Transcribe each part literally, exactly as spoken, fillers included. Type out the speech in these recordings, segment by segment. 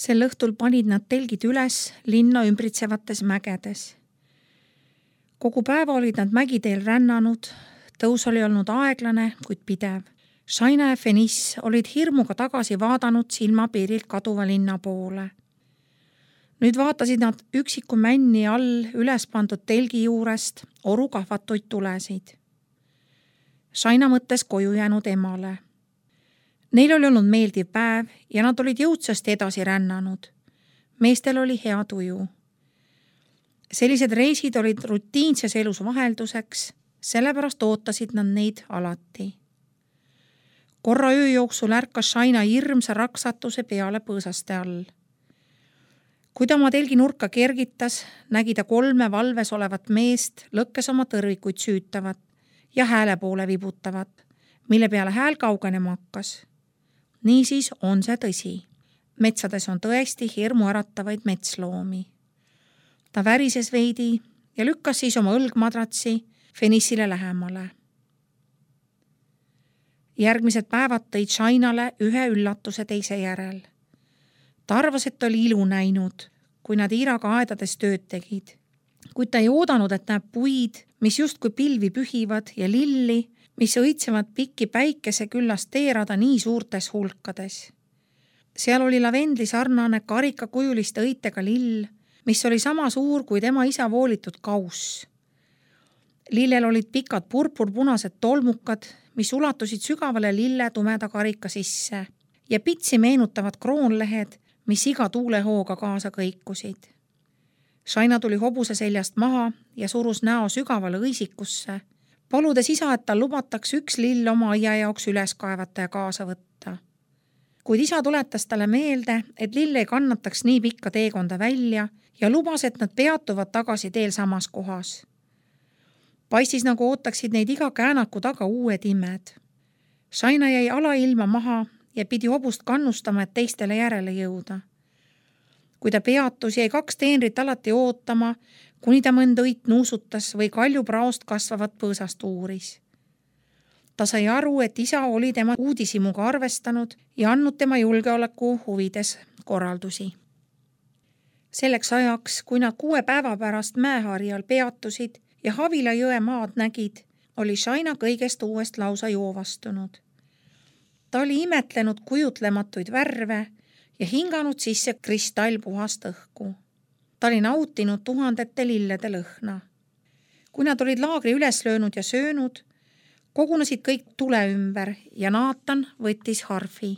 Sel õhtul panid nad telgid üles linna ümbritsevates mägedes. Kogu päeva olid nad mägiteel rännanud, tõus oli olnud aeglane, kuid pidev. Shaina ja Feniss olid hirmuga tagasi vaadanud silmapiirilt kaduva linna poole. Nüüd vaatasid nad üksiku männi all üles pandud telgi juurest orukahvatuid tulesid. Shaina mõttes koju jäänud emale. Neil oli olnud meeldiv päev ja nad olid jõudsasti edasi rännanud. Meestel oli hea tuju. Sellised reisid olid rutiinses elus vahelduseks, sellepärast ootasid nad neid alati. Korra öö jooksul ärkas Shaina hirmsa raksatuse peale põõsaste all. Kui ta oma telgi nurka kergitas, nägi ta kolme valves olevat meest lõkkes oma tõrvikuid süütavat ja hääle poole vibutavat, mille peale hääl kaugenema hakkas. Niisiis on see tõsi. Metsades on tõesti hirmu äratavaid metsloomi. Ta värises veidi ja lükkas siis oma õlgmadratsi Fenissile lähemale. Järgmised päevad tõid Shainale ühe üllatuse teise järel. Ta arvas, et oli ilu näinud, kui nad Iiraga aedades tööd tegid. Kuid ta ei oodanud, et näeb puid, mis justkui pilvi pühivad ja lilli, mis õitsevad pikki päikese küllast teerada nii suurtes hulkades. Seal oli lavendli sarnane karikakujuliste õitega lill, mis oli sama suur kui tema isa voolitud kauss. Lillel olid pikad purpurpunased tolmukad, mis ulatusid sügavale lille tumeda karika sisse ja pitsi meenutavad kroonlehed, mis iga tuulehooga kaasa kõikusid. Shaina tuli hobuse seljast maha ja surus näo sügavale õisikusse, paludes isa, et tal lubataks üks lill oma aia jaoks üles kaevata ja kaasa võtta. Kuid isa tuletas talle meelde, et lill ei kannataks nii pikka teekonda välja ja lubas, et nad peatuvad tagasi teel samas kohas. Paistis nagu ootaksid neid iga käänaku taga uued imed. Shaina jäi alailma maha ja pidi hobust kannustama, et teistele järele jõuda. Kui ta peatus, jäi kaks teenrit alati ootama, kuni ta mõnd õit nuusutas või kaljupraost kasvavat põõsast uuris. Ta sai aru, et isa oli tema uudisimuga arvestanud ja andnud tema julgeoleku huvides korraldusi. Selleks ajaks, kui nad kuue päeva pärast mäeharjal peatusid ja Havila jõe maad nägid, oli Shaina kõigest uuest lausa joovastunud. Ta oli imetlenud kujutlematuid värve ja hinganud sisse kristallpuhast õhku. Ta oli nautinud tuhandete lillede lõhna. Kui nad olid laagri üles löönud ja söönud, kogunesid kõik tule ümber ja Naatan võttis harfi.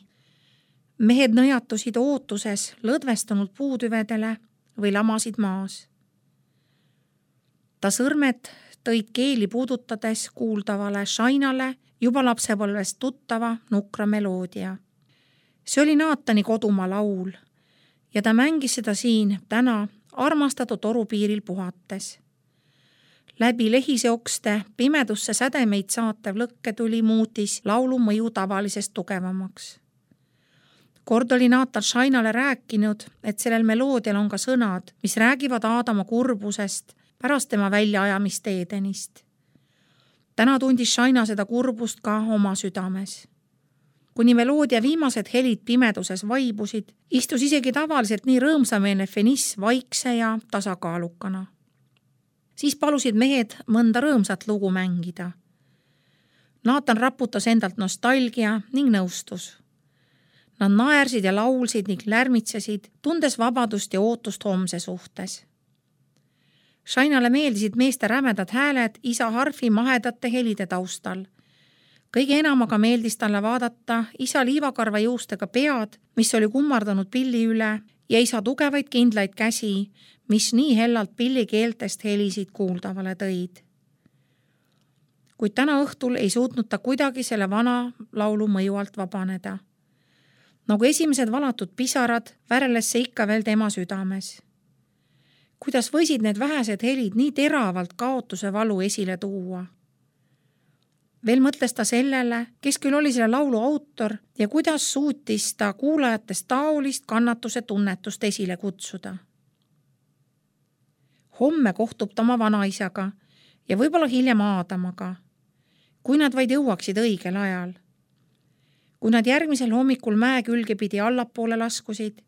Mehed nõjatusid ootuses lõdvestunud puutüvedele või lamasid maas. Ta sõrmed tõid keeli puudutades kuuldavale Shainale juba lapsepõlvest tuttava nukra meloodia. See oli Naatani kodumaa laul ja ta mängis seda siin täna armastatud torupiiril puhates. Läbi lehiseokste pimedusse sädemeid saatev lõkketuli muutis laulu mõju tavalisest tugevamaks. Kord oli Naatan Shainale rääkinud, et sellel meloodial on ka sõnad, mis räägivad Aadama kurbusest pärast tema väljaajamist Edenist. Täna tundis Shaina seda kurbust ka oma südames. Kuni meloodia viimased helid pimeduses vaibusid, istus isegi tavaliselt nii rõõmsameelne Feniss vaikse ja tasakaalukana. Siis palusid mehed mõnda rõõmsat lugu mängida. Naatan raputas endalt nostalgia ning nõustus. Nad naersid ja laulsid ning lärmitsesid, tundes vabadust ja ootust homse suhtes. Shainale meeldisid meeste rämedad hääled isa harfi mahedate helide taustal. Kõige enamaga meeldis talle vaadata isa liivakarva juustega pead, mis oli kummardanud pilli üle, ja isa tugevaid kindlaid käsi, mis nii hellalt pilli keeltest helisid kuuldavale tõid. Kuid täna õhtul ei suutnud ta kuidagi selle vana laulu mõju alt vabaneda. Nagu esimesed valatud pisarad väreles see ikka veel tema südames. Kuidas võisid need vähesed helid nii teravalt kaotuse valu esile tuua? Veel mõtles ta sellele, kes küll oli selle laulu autor ja kuidas suutis ta kuulajatest taolist kannatuse tunnetust esile kutsuda. Homme kohtub ta oma vanaisaga ja võib-olla hiljem Aadamaga, kui nad vaid jõuaksid õigel ajal. Kui nad järgmisel hommikul mäe külge pidi allapoole laskusid,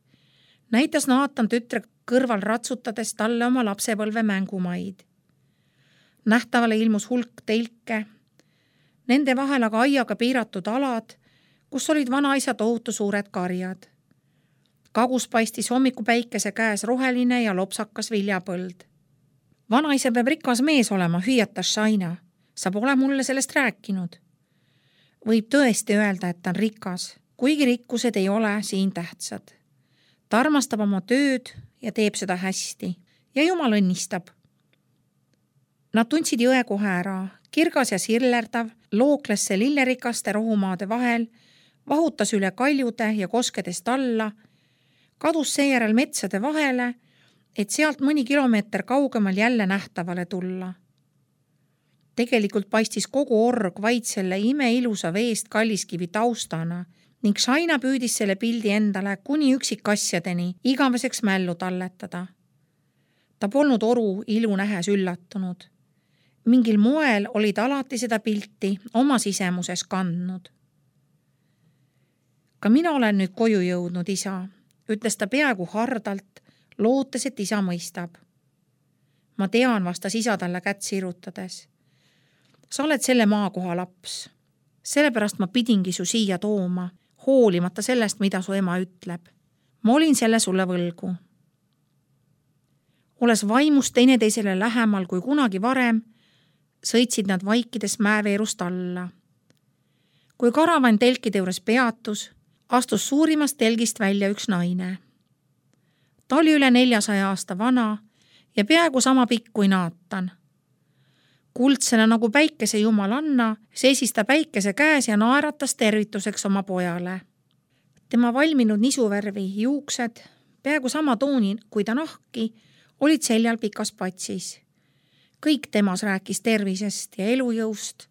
Näitas Naatan tütre kõrval ratsutades talle oma lapsepõlve mängumaid. Nähtavale ilmus hulk telke, nende vahel aga aiaga piiratud alad, kus olid vanaisa tohutu suured karjad. Kagus paistis hommikupäikese käes roheline ja lopsakas viljapõld. Vanaisa peab rikas mees olema, hüüatas Shaina. Sa pole mulle sellest rääkinud. Võib tõesti öelda, et ta on rikas, kuigi rikkused ei ole siin tähtsad. Ta armastab oma tööd ja teeb seda hästi ja jumal õnnistab. Nad tundsid jõe kohe ära, kirgas ja sirlerdav, lookles see lillerikaste rohumaade vahel, vahutas üle kaljude ja koskedest alla, kadus seejärel metsade vahele, et sealt mõni kilomeeter kaugemal jälle nähtavale tulla. Tegelikult paistis kogu org vaid selle imeilusa veest kalliskivi taustana ning Shaina püüdis selle pildi endale kuni üksikasjadeni igaveseks mällu talletada. Ta polnud oru ilu nähes üllatunud. Mingil moel oli ta alati seda pilti oma sisemuses kandnud. Ka mina olen nüüd koju jõudnud, isa, ütles ta peaaegu hardalt, lootes, et isa mõistab. Ma tean, vastas isa talle kätt sirutades. Sa oled selle maakoha laps. Sellepärast ma pidingi su siia tooma, hoolimata sellest, mida su ema ütleb. Ma olin selle sulle võlgu. Oles vaimus teineteisele lähemal kui kunagi varem, sõitsid nad vaikides mäeveerust alla. Kui karavan telkide juures peatus, astus suurimast telgist välja üks naine. Ta oli üle neljasaja aasta vana ja peaaegu sama pikk kui Naatan. Kuldsena nagu päikese jumalanna seisis ta päikese käes ja naeratas tervituseks oma pojale. Tema valminud nisuvärvi juuksed, peaaegu sama tooni kui ta nahki, olid seljal pikas patsis. Kõik temas rääkis tervisest ja elujõust.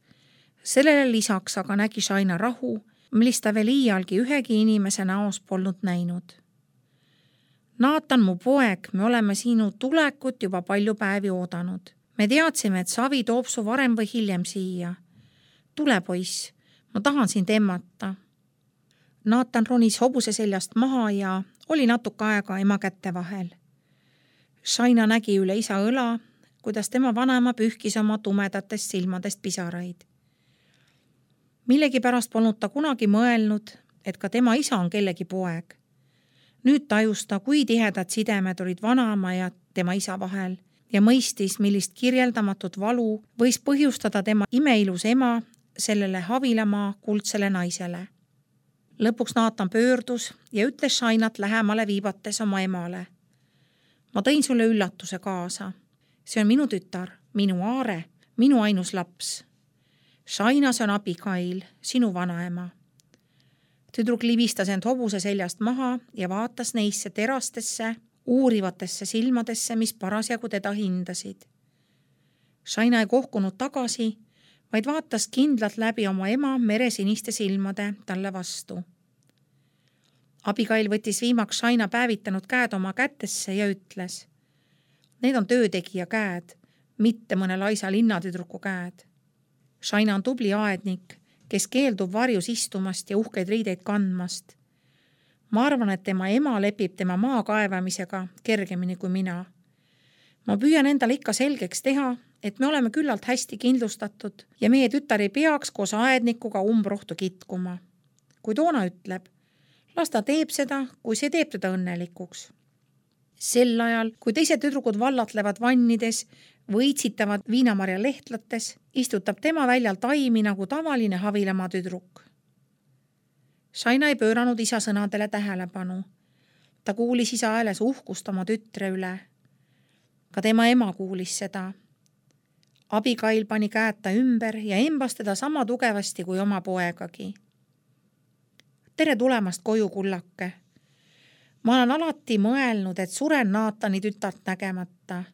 Sellele lisaks aga nägi Shaina rahu, millist ta veel iialgi ühegi inimese näos polnud näinud. Naatan, mu poeg, me oleme sinu tulekut juba palju päevi oodanud. Me teadsime, et Savi toob su varem või hiljem siia. Tule, poiss, ma tahan sind emmata. Naatan ronis hobuse seljast maha ja oli natuke aega ema kätte vahel. Shaina nägi üle isa õla, kuidas tema vanaema pühkis oma tumedatest silmadest pisaraid. Millegi pärast polnud ta kunagi mõelnud, et ka tema isa on kellegi poeg. Nüüd tajus ta, kui tihedad sidemed olid vanaema ja tema isa vahel ja mõistis, millist kirjeldamatut valu võis põhjustada tema imeilus ema sellele Havilamaa kuldsele naisele. Lõpuks Naatan pöördus ja ütles Shainat lähemale viibates oma emale. Ma tõin sulle üllatuse kaasa. See on minu tütar, minu Aare, minu ainus laps. Shaina, see on Abigail, sinu vanaema. Tüdruk libistas end hobuse seljast maha ja vaatas neisse terastesse, uurivatesse silmadesse, mis parasjagu teda hindasid. Shaina ei kohkunud tagasi, vaid vaatas kindlalt läbi oma ema meresiniste silmade talle vastu. Abigail võttis viimaks Shaina päevitanud käed oma kätesse ja ütles: Need on töötegija käed, mitte mõne laisa linnatüdruku käed. Shaina on tubli aednik, kes keeldub varjus istumast ja uhkeid riideid kandmast. Ma arvan, et tema ema lepib tema maa kaevamisega kergemini kui mina. Ma püüan endale ikka selgeks teha, et me oleme küllalt hästi kindlustatud ja meie tütar ei peaks koos aednikuga umbrohtu kitkuma. Kui toona ütleb, las ta teeb seda, kui see teeb teda õnnelikuks. Sel ajal, kui teised tüdrukud vallatlevad vannides või itsitavad viinamarja lehtlates, istutab tema väljal taimi nagu tavaline Havilamaa tüdruk. Shaina ei pööranud isa sõnadele tähelepanu. Ta kuulis isa hääles uhkust oma tütre üle. Ka tema ema kuulis seda. Abigail pani käed ta ümber ja embas teda sama tugevasti kui oma poegagi. Tere tulemast koju, kullake. Ma olen alati mõelnud, et suren Naatani tütart nägemata.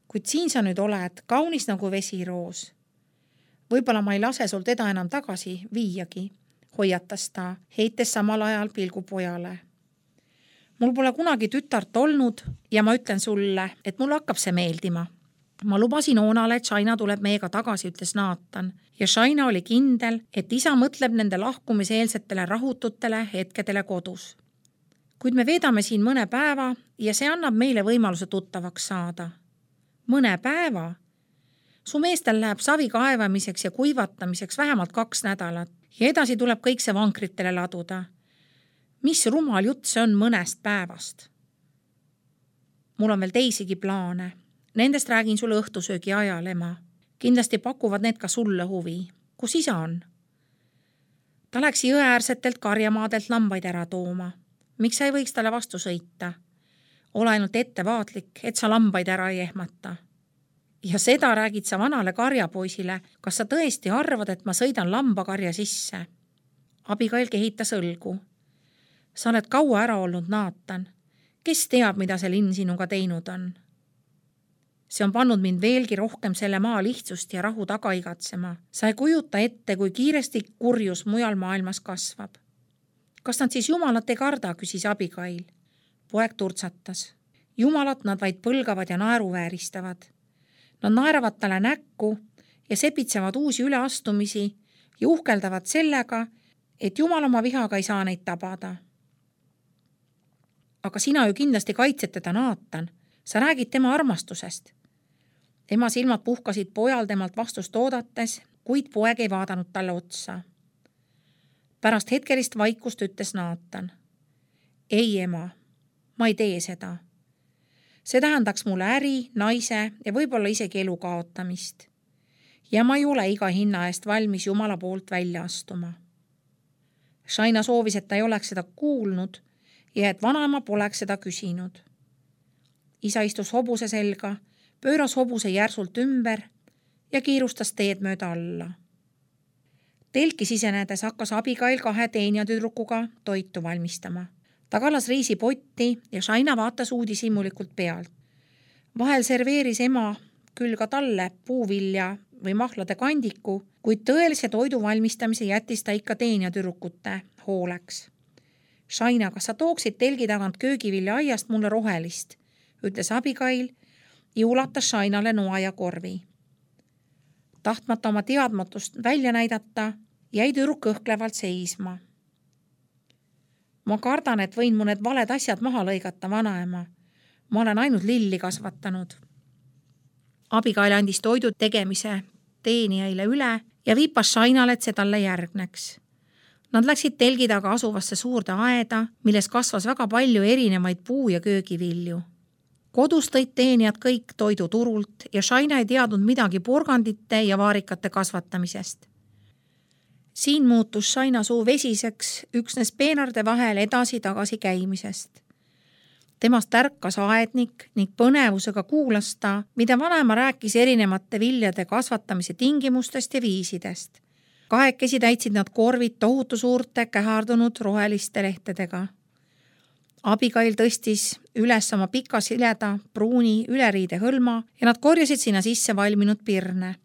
Kuid siin sa nüüd oled, kaunis nagu vesiroos. Võib-olla ma ei lase sul teda enam tagasi viiagi, hoiatas ta, heites samal ajal pilgu pojale. Mul pole kunagi tütart olnud ja ma ütlen sulle, et mul hakkab see meeldima. Ma lubasin Oonale, et Shaina tuleb meiega tagasi, ütles Naatan, ja Shaina oli kindel, et isa mõtleb nende lahkumiseelsetele rahututele hetkedele kodus. Kuid me veedame siin mõne päeva ja see annab meile võimaluse tuttavaks saada. Mõne päeva? Su meestel läheb savi kaevamiseks ja kuivatamiseks vähemalt kaks nädalat ja edasi tuleb kõik see vankritele laduda. Mis rumal jutt see on mõnest päevast? Mul on veel teisigi plaane. Nendest räägin sulle õhtusöögi ajal, ema. Kindlasti pakuvad need ka sulle huvi. Kus isa on? Ta läks jõeäärsetelt karjamaadelt lambaid ära tooma. Miks sa ei võiks talle vastu sõita? Ole ainult ettevaatlik, et sa lambaid ära ei ehmata. Ja seda räägid sa vanale karjapoisile. Kas sa tõesti arvad, et ma sõidan lambakarja sisse? Abigail kehitas õlgu. Sa oled kaua ära olnud, Naatan. Kes teab, mida see linn sinuga teinud on? See on pannud mind veelgi rohkem selle maa lihtsust ja rahu taga igatsema. Sa ei kujuta ette, kui kiiresti kurjus mujal maailmas kasvab. Kas nad siis jumalat ei karda, küsis Abigail. Poeg turtsatas. Jumalat nad vaid põlgavad ja naeruvääristavad. Nad naeravad talle näkku ja sepitsevad uusi üleastumisi ja uhkeldavad sellega, et Jumal oma vihaga ei saa neid tabada. Aga sina ju kindlasti kaitsed teda, Naatan. Sa räägid tema armastusest. Ema silmad puhkasid pojal temalt vastust oodates, kuid poeg ei vaadanud talle otsa. Pärast hetkelist vaikust ütles Naatan. Ei, ema, ma ei tee seda. See tähendaks mulle äri, naise ja võib-olla isegi elu kaotamist. Ja ma ei ole iga hinna eest valmis Jumala poolt välja astuma. Shaina soovis, et ta ei oleks seda kuulnud ja et vanaema poleks seda küsinud. Isa istus hobuse selga, pööras hobuse järsult ümber ja kiirustas teed mööda alla. Telki sisenedes hakkas Abigail kahe teenijatüdrukuga toitu valmistama. Ta kallas riisipotti ja Shaina vaatas uudishimulikult pealt. Vahel serveeris ema küll ka talle puuvilja või mahlade kandiku, kuid tõelise toidu valmistamise jättis ta ikka teenijatüdrukute hooleks. Shaina, kas sa tooksid telgi tagant köögivilja aiast mulle rohelist, ütles Abigail ja ulatas Shainale noa ja korvi. Tahtmata oma teadmatust välja näidata, jäi tüdruk kõhklevalt seisma. Ma kardan, et võin mu need valed asjad maha lõigata, vanaema. Ma olen ainult lilli kasvatanud. Abigail andis toidu tegemise teenijaile üle ja viipas Shainale, et see talle järgneks. Nad läksid telgi taga asuvasse suurde aeda, milles kasvas väga palju erinevaid puu- ja köögivilju. Kodus tõid teenijad kõik toidu turult ja Shaina ei teadnud midagi porgandite ja vaarikate kasvatamisest. Siin muutus Shaina suu vesiseks üksnes peenarde vahel edasi-tagasi käimisest. Temast tärkas aednik ning põnevusega kuulas ta, mida vanaema rääkis erinevate viljade kasvatamise tingimustest ja viisidest. Kahekesi täitsid nad korvid tohutu suurte kähardunud roheliste lehtedega. Abigail tõstis üles oma pika sileda pruuni üleriide hõlma ja nad korjasid sinna sisse valminud pirne.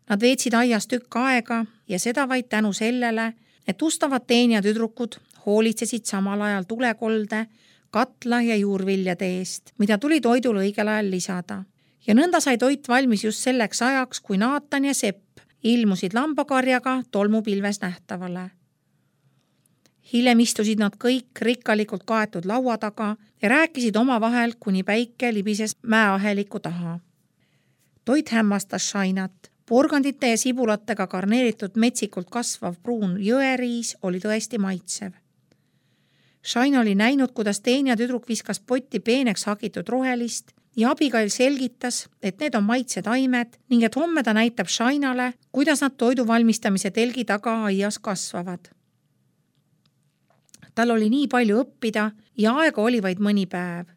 Nad veetsid aias tükk aega ja seda vaid tänu sellele, et ustavad teenijatüdrukud hoolitsesid samal ajal tulekolde, katla ja juurviljade eest, mida tuli toidul õigel ajal lisada. Ja nõnda sai toit valmis just selleks ajaks, kui Naatan ja Sepp ilmusid lambakarjaga tolmupilves nähtavale. Hiljem istusid nad kõik rikkalikult kaetud laua taga ja rääkisid oma vahel, kuni päike libises mäeaheliku taha. Toit hämmastas Shainat. Porgandite ja sibulatega karneeritud metsikult kasvav pruun jõeriis oli tõesti maitsev. Shaina oli näinud, kuidas teenijatüdruk viskas potti peeneks hagitud rohelist ja Abigail selgitas, et need on maitsed aimed ning et homme ta näitab Shainale, kuidas nad toidu valmistamise telgi taga aias kasvavad. Tal oli nii palju õppida ja aega oli vaid mõni päev.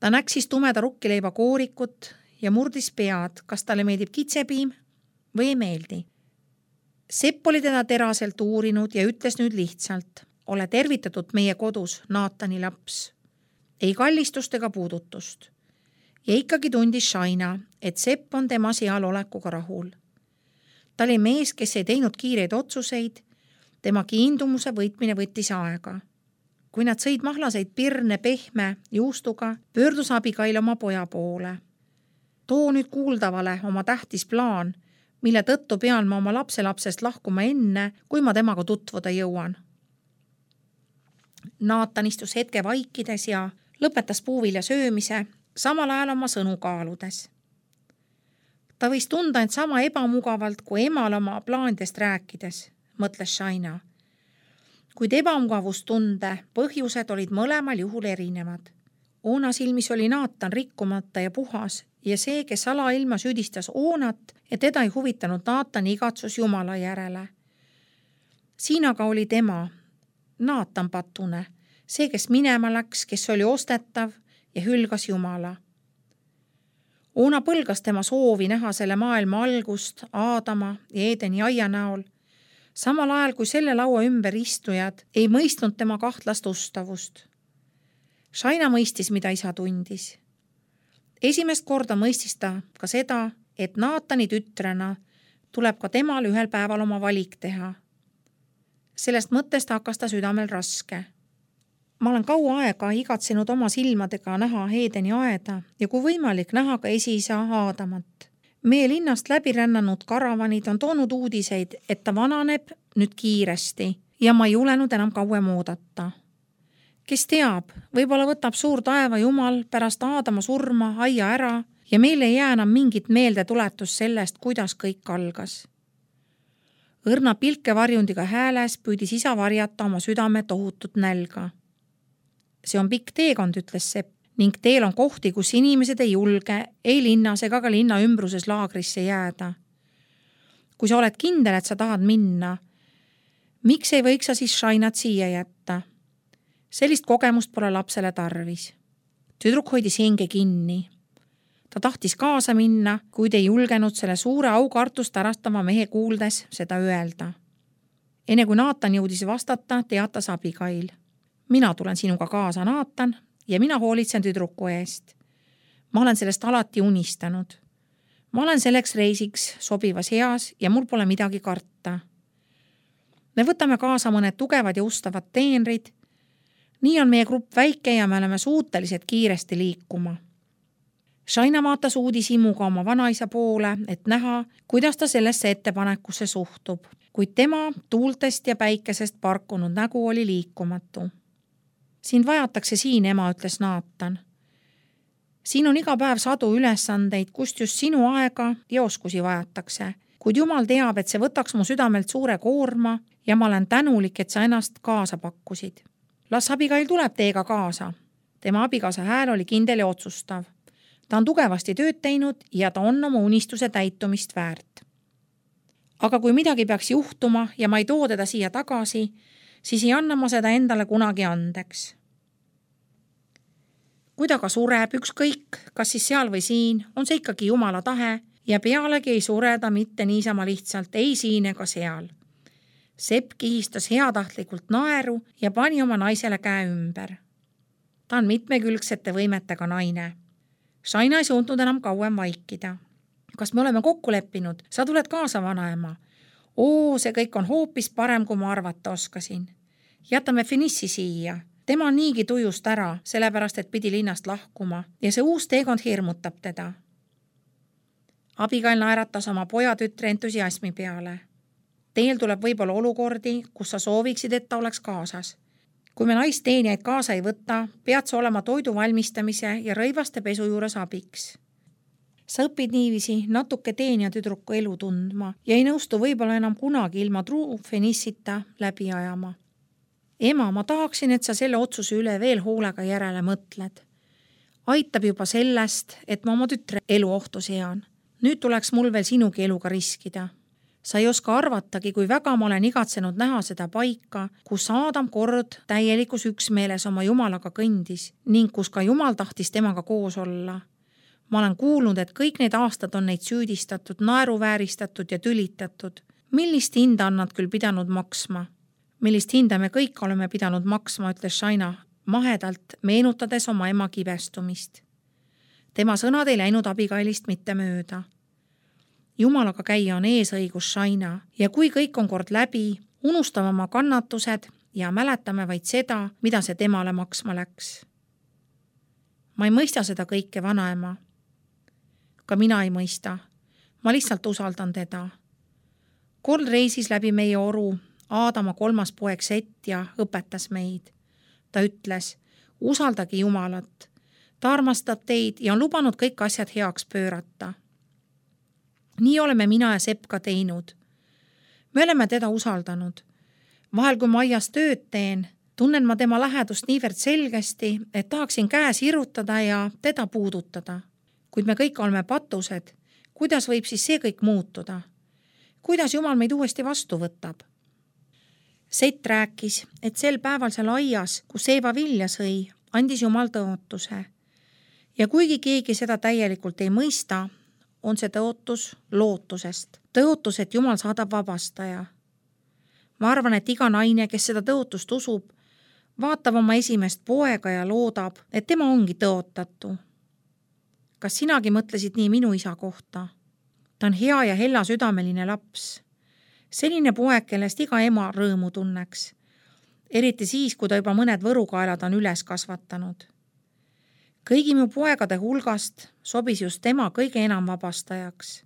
Ta näksis tumeda rukkileiba koorikut ja murdis pead, kas talle meeldib kitsepiim või ei meeldi. Sepp oli teda teraselt uurinud ja ütles nüüd lihtsalt, ole tervitatud meie kodus, Naatani laps. Ei kallistust ega puudutust. Ja ikkagi tundis Shaina, et Sepp on tema seal olekuga rahul. Ta oli mees, kes ei teinud kiireid otsuseid, tema kiindumuse võitmine võttis aega. Kui nad sõid mahlaseid pirne pehme juustuga, pöördus Abigail oma poja poole. Too nüüd kuuldavale oma tähtis plaan, mille tõttu pean ma oma lapselapsest lahkuma enne, kui ma temaga tutvuda jõuan. Naatan istus hetke vaikides ja lõpetas puuvilja söömise, samal ajal oma sõnu kaaludes. Ta võis tunda end sama ebamugavalt kui emal oma plaanidest rääkides, mõtles Shaina. Kuid ebamugavustunde põhjused olid mõlemal juhul erinevad. Oona silmis oli Naatan rikkumata ja puhas ja see, kes alailma süüdistas Oonat, et teda ei huvitanud Naatani igatsus Jumala järele. Siin aga oli tema, Naatan patune, see, kes minema läks, kes oli ostetav ja hülgas Jumala. Oona põlgas tema soovi näha selle maailma algust Aadama ja Eedeni aia näol, samal ajal kui selle laua ümber istujad ei mõistnud tema kahtlast ustavust. Shaina mõistis, mida isa tundis. Esimest korda mõistis ta ka seda, et Naatani tütrena tuleb ka temal ühel päeval oma valik teha. Sellest mõttest hakkas ta südamel raske. Ma olen kaua aega igatsenud oma silmadega näha Eedeni aeda ja kui võimalik näha ka esiisa Aadamat. Meie linnast läbi rännanud karavanid on toonud uudiseid, et ta vananeb nüüd kiiresti ja ma ei julenud enam kauem oodata. Kes teab, võib-olla võtab suur taeva Jumal pärast Aadama surma aia ära ja meil ei jää enam mingit meelde tuletus sellest, kuidas kõik algas. Õrna pilkevarjundiga hääles püüdis isa varjata oma südame tohutut nälga. See on pikk teekond, ütles Sepp, ning teel on kohti, kus inimesed ei julge ei linnas ega ka linna ümbruses laagrisse jääda. Kui sa oled kindel, et sa tahad minna, miks ei võiks sa siis Shainat siia jätta? Sellist kogemust pole lapsele tarvis. Tüdruk hoidis hinge kinni. Ta tahtis kaasa minna, kuid ei julgenud selle suure aukartust ärastava mehe kuuldes seda öelda. Enne kui Naatan jõudis vastata, teatas Abigail. Mina tulen sinuga kaasa, Naatan, ja mina hoolitsen tüdruku eest. Ma olen sellest alati unistanud. Ma olen selleks reisiks sobivas heas ja mul pole midagi karta. Me võtame kaasa mõned tugevad ja ustavad teenrid. Nii on meie grupp väike ja me oleme suutelised kiiresti liikuma. Shaina vaatas uudishimuga oma vanaisa poole, et näha, kuidas ta sellesse ettepanekusse suhtub, kuid tema tuultest ja päikesest parkunud nägu oli liikumatu. Sind vajatakse siin, ema, ütles Naatan. Siin on iga päev sadu ülesandeid, kust just sinu aega ja oskusi vajatakse, kuid Jumal teab, et see võtaks mu südamelt suure koorma ja ma olen tänulik, et sa ennast kaasa pakkusid. Las Abigail tuleb teiega kaasa. Tema abikaasa hääl oli kindel ja otsustav. Ta on tugevasti tööd teinud ja ta on oma unistuse täitumist väärt. Aga kui midagi peaks juhtuma ja ma ei too teda siia tagasi, siis ei anna ma seda endale kunagi andeks. Kui ta ka sureb ükskõik, kas siis seal või siin, on see ikkagi Jumala tahe ja pealegi ei sureda mitte niisama lihtsalt ei siin ega seal. Sepp kihistas heatahtlikult naeru ja pani oma naisele käe ümber. Ta on mitmekülgsete võimetega naine. Shaina ei suutnud enam kauem vaikida. Kas me oleme kokku leppinud? Sa tuled kaasa, vanaema. Oo, see kõik on hoopis parem, kui ma arvata oskasin. Jätame Finissi siia. Tema on niigi tujust ära, sellepärast, et pidi linnast lahkuma ja see uus teekond hirmutab teda. Abigail naeratas oma pojatütre entusiasmi peale. Teel tuleb võib-olla olukordi, kus sa sooviksid, et ta oleks kaasas. Kui me naisteenijaid kaasa ei võta, pead sa olema toidu valmistamise ja rõivaste pesu juures abiks. Sa õpid niivisi natuke teenija tüdruku elu tundma ja ei nõustu võib-olla enam kunagi ilma truu Finissita läbi ajama. Ema, ma tahaksin, et sa selle otsuse üle veel hoolega järele mõtled. Aitab juba sellest, et ma oma tütre elu ohtu sean. Nüüd tuleks mul veel sinugi eluga riskida. Sa ei oska arvatagi, kui väga ma olen igatsenud näha seda paika, kus Aadam kord täielikus üksmeeles oma Jumalaga kõndis ning kus ka Jumal tahtis temaga koos olla. Ma olen kuulnud, et kõik need aastad on neid süüdistatud, naeruvääristatud ja tülitatud. Millist hinda on nad küll pidanud maksma? Millist hinda me kõik oleme pidanud maksma, ütles Shaina mahedalt, meenutades oma ema kibestumist. Tema sõnad ei läinud Abigailist mitte mööda. Jumalaga käia on eesõigus, Shaina, ja kui kõik on kord läbi, unustame oma kannatused ja mäletame vaid seda, mida see temale maksma läks. Ma ei mõista seda kõike, vanaema. Ka mina ei mõista. Ma lihtsalt usaldan teda. Kord reisis läbi meie oru Aadama kolmas poeg Sett ja õpetas meid. Ta ütles, usaldage Jumalat. Ta armastab teid ja on lubanud kõik asjad heaks pöörata. Nii oleme mina ja Sepp ka teinud. Me oleme teda usaldanud. Vahel, kui ma aias tööd teen, tunnen ma tema lähedust niivõrd selgesti, et tahaksin käe sirutada ja teda puudutada. Kuid me kõik oleme patused. Kuidas võib siis see kõik muutuda? Kuidas Jumal meid uuesti vastu võtab? Sett rääkis, et sel päeval seal aias, kus Eeva vilja sõi, andis Jumal tõotuse. Ja kuigi keegi seda täielikult ei mõista, on see tõotus lootusest. Tõotus, et Jumal saadab vabastaja. Ma arvan, et iga naine, kes seda tõotust usub, vaatab oma esimest poega ja loodab, et tema ongi tõotatu. Kas sinagi mõtlesid nii minu isa kohta? Ta on hea ja hella südameline laps. Selline poeg, kellest iga ema rõõmu tunneks. Eriti siis, kui ta juba mõned võrukaelad on üles kasvatanud. Kõigi mu poegade hulgast sobis just tema kõige enam vabastajaks.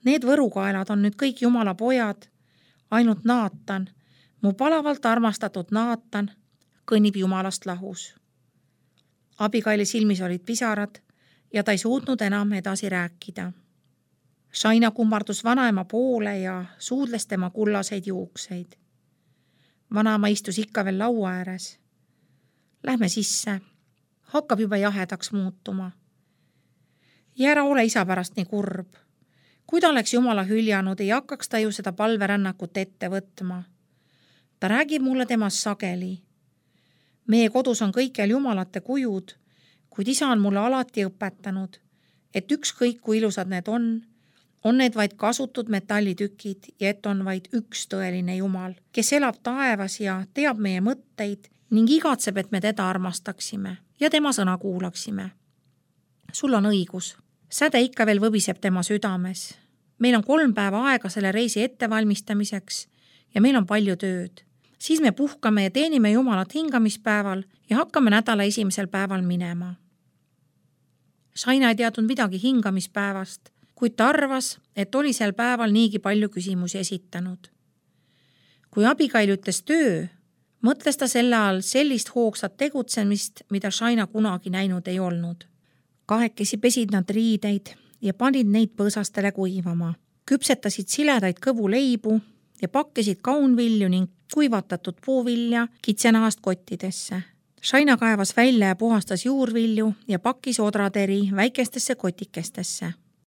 Need võrukaelad on nüüd kõik Jumala pojad, ainult Naatan, mu palavalt armastatud Naatan, kõnnib Jumalast lahus. Abigaili silmis olid pisarad ja ta ei suutnud enam edasi rääkida. Shaina kummardus vanaema poole ja suudles tema kullaseid juukseid. Vanaema istus ikka veel laua ääres. Lähme sisse. Hakkab juba jahedaks muutuma. Ja ära ole isa pärast nii kurb. Kui ta oleks Jumala hüljanud, ei hakkaks ta ju seda palverännakut ette võtma. Ta räägib mulle temast sageli. Meie kodus on kõikjal Jumalate kujud, kuid isa on mulle alati õpetanud, et ükskõik kui ilusad need on, on need vaid kasutud metallitükid ja et on vaid üks tõeline Jumal, kes elab taevas ja teab meie mõtteid ning igatseb, et me teda armastaksime ja tema sõna kuulaksime. Sul on õigus. Säde ikka veel võbiseb tema südames. Meil on kolm päeva aega selle reisi ettevalmistamiseks ja meil on palju tööd. Siis me puhkame ja teenime Jumalat hingamispäeval ja hakkame nädala esimesel päeval minema. Shaina ei teadnud midagi hingamispäevast, kuid ta arvas, et oli sel päeval niigi palju küsimusi esitanud. Kui Abigail ütles töö, mõtles ta selle all sellist hoogsat tegutsemist, mida Shaina kunagi näinud ei olnud. Kahekesi pesid nad riideid ja panid neid põõsastele kuivama. Küpsetasid siledaid kõvu leibu ja pakkisid kaunvilju ning kuivatatud puuvilja kitsenahast kottidesse. Shaina kaevas välja ja puhastas juurvilju ja pakkis odrateri väikestesse kotikestesse.